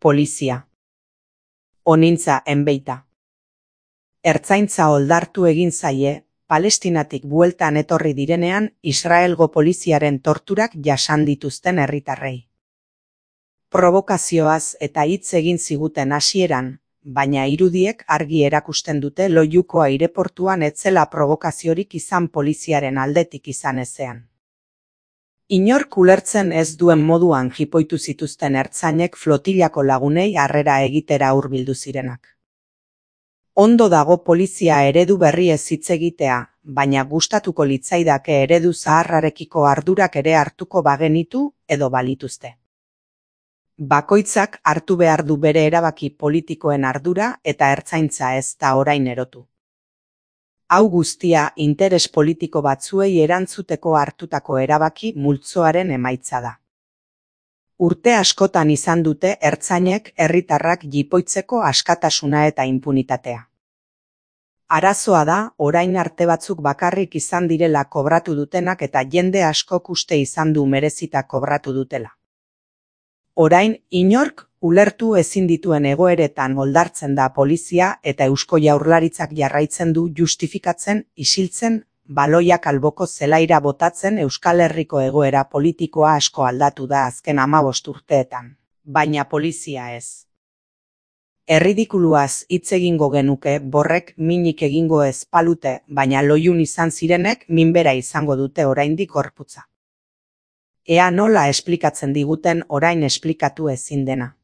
Polizia. Onintza enbeita. Ertzaintza oldartu egin zaie, Palestinatik bueltan etorri direnean Israelgo poliziaren torturak jasan dituzten herritarrei. Provokazioaz eta hitz egin ziguten hasieran, baina irudiek argi erakusten dute Loiuko aireportuan ez zela provokaziorik izan poliziaren aldetik izan ezean. Inork ulertzen ez duen moduan jipoitu zituzten ertzainek flotillako lagunei harrera egitera hurbildu zirenak. Ondo dago polizia eredu berriez hitz egitea, baina gustatuko litzaidake eredu zaharrarekiko ardurak ere hartuko bagenitu edo balituzte. Bakoitzak hartu behar du bere erabaki politikoen ardura eta ertzaintza ez da orain erotu. Hau guztia interes politiko batzuei erantzuteko hartutako erabaki multzoaren emaitza da. Urte askotan izan dute ertzainek herritarrak jipoitzeko askatasuna eta inpunitatea. Arazoa da, orain arte batzuk bakarrik izan direla kobratu dutenak eta jende askok uste izan du merezita kobratu dutela. Orain, inork ulertu ezin dituen egoeretan oldartzen da polizia eta Eusko Jaurlaritzak jarraitzen du justifikatzen, isiltzen, baloiak alboko zelaira botatzen Euskal Herriko egoera politikoa asko aldatu da azken 15 urteetan, baina polizia ez. Erridikuluaz hitz egingo genuke borrek minik egingo ez palute, baina Loiun izan zirenek minbera izango dute oraindik gorputza. Ea nola esplikatzen diguten orain esplikatu ezin dena.